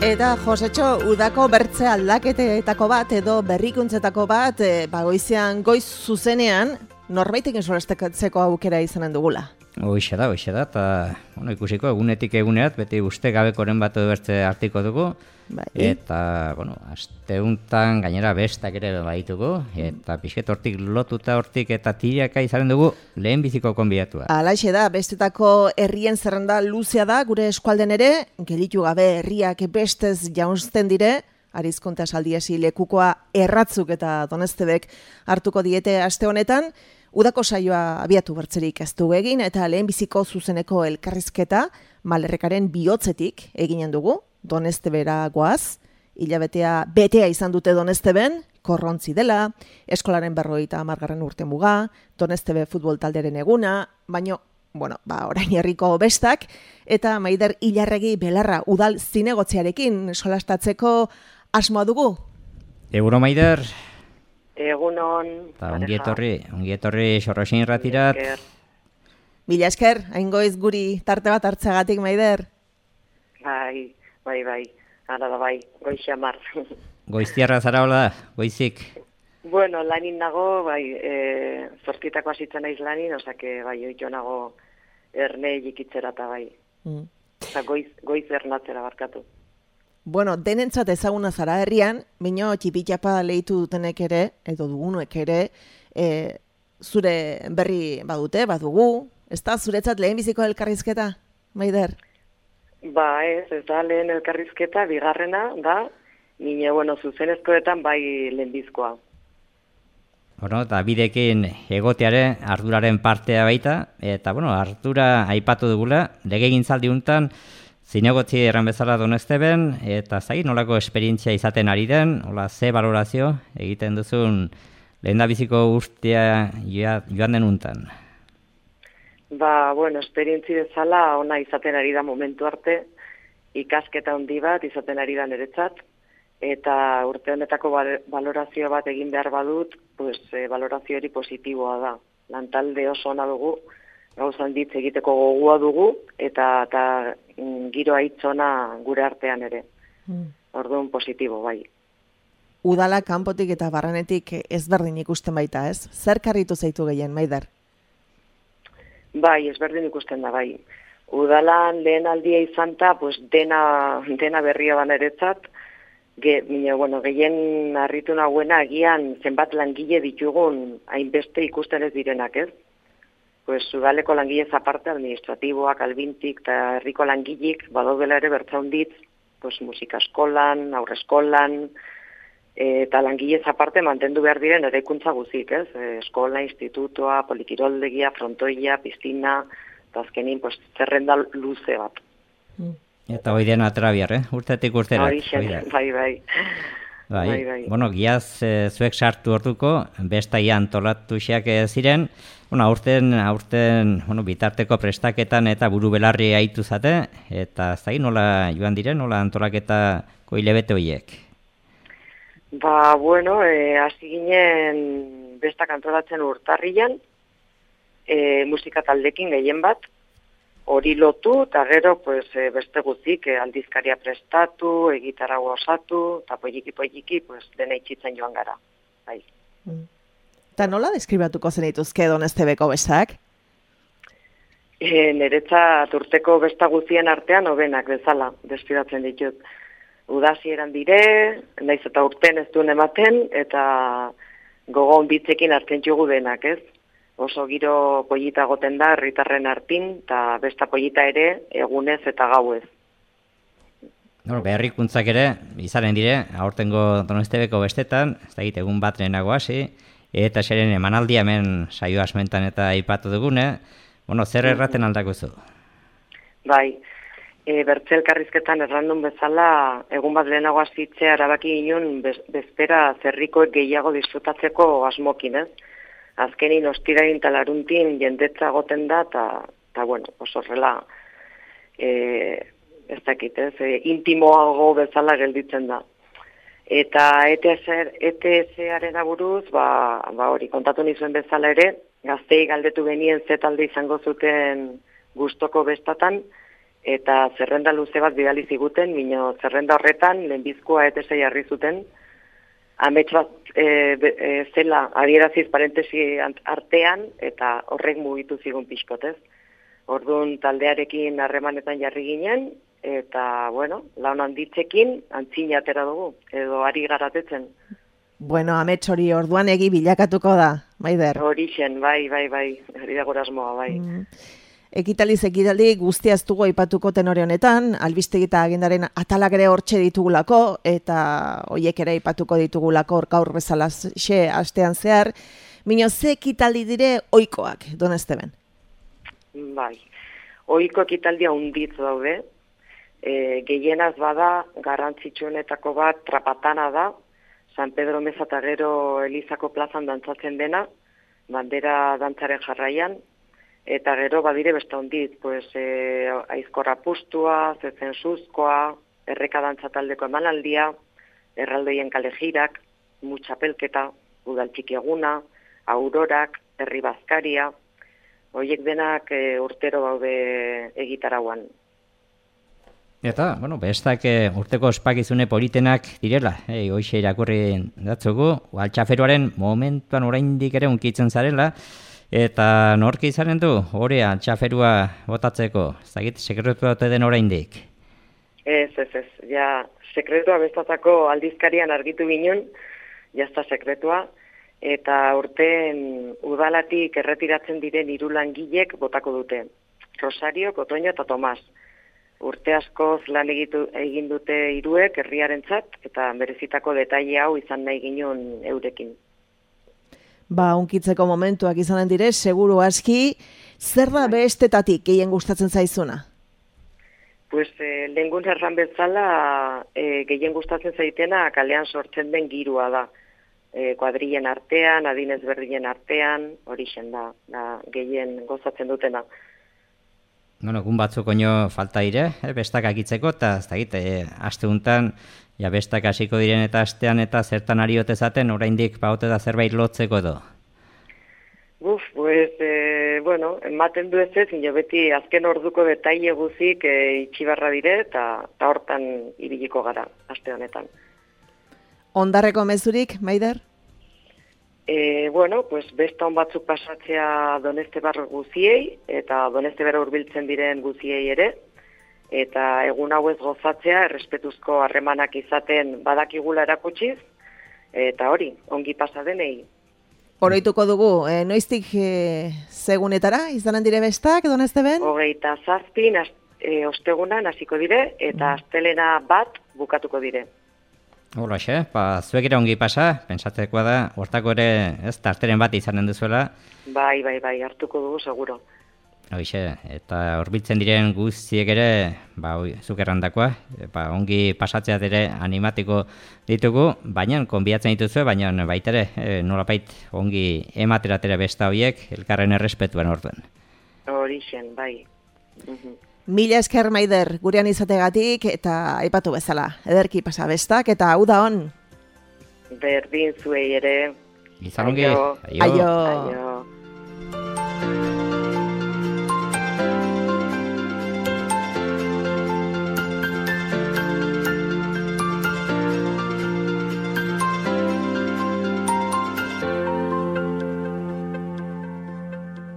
Eta Josetxo, udako bertze aldaketetako bat edo berrikuntzetako bat, goiz zuzenean, norbaitekin solastekatzeko aukera izanen dugula. Hoxe da, eta ikusiko egunetik egunerat, beti uste gabekoren bat edo bertze hartiko dugu, bai. Eta, aste untan gainera bestak ere baditugu, eta pixket hortik lotuta hortik eta tiraka izaren dugu lehen biziko konbidatua. Alaxe da, bestetako herrien zerrenda luzea da, gure eskualden ere, gelitu gabe herriak bestez jaunzten dire, Arizkonta saldiesi lekukoa erratzuk eta Donestebek hartuko diete aste honetan, udako saioa abiatu bertzerik ez du egin eta lehenbiziko zuzeneko elkarrizketa Malerrekaren bihotzetik eginen dugu, Donestebera goaz, hilabetea betea izan dute Donesteben, korrontzi dela, eskolaren 50. urte muga, Donestebe futbol talderen eguna, baino, orain herriko bestak, eta Maider Ilarregi Belarra udal zinegotziarekin solastatzeko asmoa dugu. Eguno Maider. Egunon. Eta ongi etorri Sorrosin irratirat. Mila esker, aingoiz guri tarte bat hartzagatik, Maider. Bai, ara da bai, goiz xamar. Goiztiarra zara hola, goizik? Bueno, lanin nago, zortitako asitzen naiz lanin, osake, oito nago erne jikitzera eta bai. Eta goiz ernatzera barkatu. Bueno, denentzat ezaguna zara herrian, baino txipitxapa lehitu dutenek ere, edo dugunuek ere, zure berri badugu, ez da zuretzat lehenbiziko elkarrizketa, Maider? Ez da lehen elkarrizketa, bigarrena da, nire, zuzenezkoetan bai lehenbizkoa. Eta bidekin egoteare arduraren partea baita, eta ardura aipatu dugula, legegintzaldi untan, zinegotzi erran bezala Donesteben, eta nolako esperientzia izaten ari den, ze valorazio egiten duzun lehendabiziko urtea joan den untan? Esperientzi bezala ona izaten ari da momentu arte, ikasketa handi bat izaten ari da niretzat, eta urte honetako valorazio bat egin behar badut, valorazio hori positiboa da. Lantalde oso ona dugu, gauzan ditz egiteko gogua dugu, eta giroa hitzona gure artean ere. Orduan positibo, bai. Udala kanpotik eta barrenetik ezberdin ikusten baita, ez? Zer karritu zaitu gehien, Maider? Bai, ezberdin ikusten da, bai. Udalan lehen aldia izan ta, dena berria baneretzat, gehien harritu nagoena agian zenbat langile ditugun hainbeste ikusten ez direnak, ez? Udaleko langilez aparte, administratiboak, albintik eta herriko langilik, badaudela ere bertzaunditz, musika eskolan, aurre eskolan, eta langilez aparte mantendu behar diren eraikuntza guzik, ez? Eskola, institutoa, polikiroldegia, frontoia, piztina, eta azkenin zerrenda luze bat. Eta hoi dena atrabiar, urtetik urterat. Bai. Giaz zuek sartu orduko, bestaia antolatu xeak ziren, aurten bitarteko prestaketan eta buru belarri haitu zate, eta nola joan diren, nola antolaketako hilebete horiek? Hasi ginen bestak antolatzen urtarrian, musika taldekin gehien bat, hori lotu, eta gero beste guzik aldizkaria prestatu, egitarago osatu, eta poiliki, dena itxitzen joan gara. Bai. Eta nola deskribatuko zenituzke Donestebeko bestak? Niretzat urteko besta guztien artean hobenak bezala, deskribatzen ditut. Udazieran dire, naiz eta urten ez duen ematen, eta gogon bitzekin hartzen jugu denak, ez? Oso giro pollita goten da, herritarren hartin, eta besta pollita ere, egunez eta gauez. Beharrikuntzak ere, izaren dire, aurtengo Donestebeko bestetan, ez da egun bat lehenago hasi, eta zeren emanaldi hemen saio asmentan eta aipatu dugune, zer erraten aldakuzu? Bai, bertzelkarrizketan errandun bezala, egun bat lehenago hasitzea erabaki ginen bezpera zerrikoek gehiago disfrutatzeko asmokin, ez? Azkenin ostirain talaruntin jendetza goten da, eta oso horrela, ez dakit, intimoago bezala gelditzen da. Eta ETS-aren aburuz, hori kontatu nizuen bezala ere, gaztei galdetu genien ze talde izango zuten gustoko bestatan, eta zerrenda luze bat bidali ziguten, mino zerrenda horretan lehenbizkoa etesei jarri zuten, amets bat zela adieraziz parentesi artean, eta horrek mugitu zigun pixkotez. Orduan taldearekin harremanetan jarri ginen, eta, bueno, laun handitzekin antzina atera dugu, edo ari garatetzen. Bueno, amets hori orduan egi bilakatuko da, Maider. Horixen, bai, hori da gurasmoa, bai. Ekitaliz guzti aztugu aipatuko tenore honetan, albistegi eta agendaren atalak ere hortxe ditugulako, eta hoiek ere aipatuko ditugulako gaur bezala xe astean zehar. Mino, ze ekitaldi dire ohikoak, Don Esteben? Bai, ohiko ekitaldia hunditz daude, gehienaz bada, garrantzitsuenetako bat trapatana da, San Pedro Meza eta gero Elizako plazan dantzatzen dena, bandera dantzaren jarraian, eta gero badire beste ondit, pues, aizkorra pustua, zezen suzkoa, erreka dantzataldeko emanaldia, erraldoien kalejirak, mutxapelketa, udaltxiki eguna, aurorak, herri bazkaria, horiek denak urtero daude egitarauan. Eta, bueno, bestak urteko ospakizune politenak direla, hoxe irakurri datzugu, altxaferuaren momentuan oraindik ere unkitzen zarela, eta norki izanen du, hori altxaferua botatzeko, zagit, sekretua ote den oraindik? Ez, ja, sekretua bestatako aldizkarian argitu ginen, jazta sekretua, eta urten udalatik erretiratzen diren 3 langilek botako dute, Rosario, Kotoño eta Tomas. Urte askoz lan egin dute 3 herriarentzat, eta berezitako detaile hau izan nahi ginen eurekin. Unkitzeko momentuak izanen dire, seguru aski, zer da bestetatik gehien gustatzen zaizuna? Pues, lehengun erran bezala, gehien gustatzen zaitena kalean sortzen den girua da. Kuadrillen artean, adinez berdinen artean, horixen da gehien gozatzen dutena. Bueno, egun batzuk oino falta dire, bestak akitzeko, eta ez dakit, aste untan, ja bestak hasiko diren eta astean eta zertan ari otezaten, oraindik baute da zerbait lotzeko edo? Pues, bueno, ematen du ez, ino beti azken orduko detaile guzik itxibarra dire, eta hortan ibiliko gara, aste honetan. Ondarreko mezurik, Maider? Bueno, pues besta on batzuk pasatzea Donestebar guziei, eta Donestebar hurbiltzen diren guziei ere, eta egun hauez gozatzea, errespetuzko harremanak izaten badakigula erakutsiz, eta hori, ongi pasa denei. Oroituko dugu, noiztik segunetara, izanen dire bestak, Donesteben? 27 ostegunan hasiko dire, eta astelena bat bukatuko dire. Holaxe, zuek ere ongi pasa, pensatzekoa da, hortako ere ez tarteren bat izanen duzuela. Bai, hartuko dugu, seguro. Hoxe, eta horbiltzen diren guztiek ere, zuk errandakoa, ongi pasatzea ere animatiko ditugu, baina konbiatzen dituzue, baina baita ere, nolapait ongi emateratere besta horiek, elkarren errespetuan orduan. Horixen, bai. Mila esker, Maider, gurean izategatik eta aipatu bezala. Ederki pasa bestak eta hau da on. Berdin zuei ere. Izan ongi. Aio.